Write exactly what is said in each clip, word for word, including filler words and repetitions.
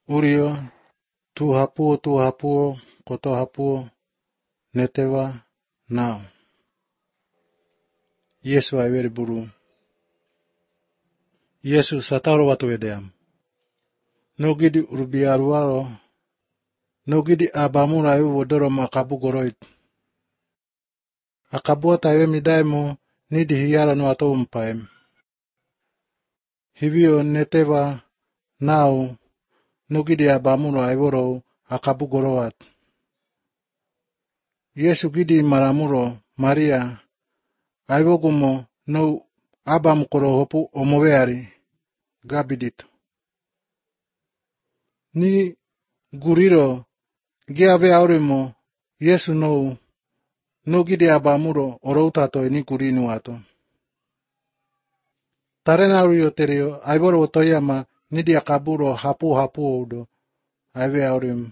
Urio, tu hapuo tu hapuo, koto hapuo, netewa, nao. Yesu aiveri buru. Yesu sataro watu edeam. Nogidi urbiaruaro, nogidi abamura ayu wodoro makabu goroit. Akabuata ayo midaimo, nidi hiyara no ato umpaem. Hivyo netewa, nao, nogidi abamura ayworo akabu goroat. Yesu gidi maramuro, Maria, aywogumo no abamukoro hopu omoveari, gabidito. Ni guriro, giave aurimo, Yesu no, no gidi abamuro oroutato ni gurinu ato. Tarena urio terio, ayworo otoyama, nidi akaburo hapu hapu udo, ave aurim.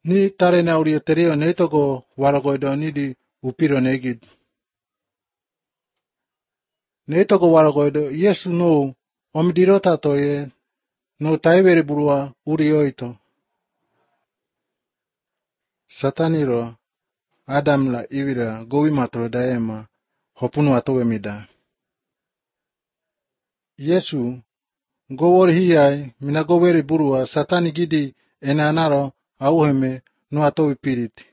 Ni tarena urio terio neitogo waragoido nidi upiro negid. Neitogo waragoido, Yesu no, omdirota toye, no taiveri burua urioito. Sataniro, Adam la ivira gowi matro daema, hopunu atowe mida. Yesu, gowor hiyai, mina goweri burua satani gidi enanaro auheme no atowe piriti.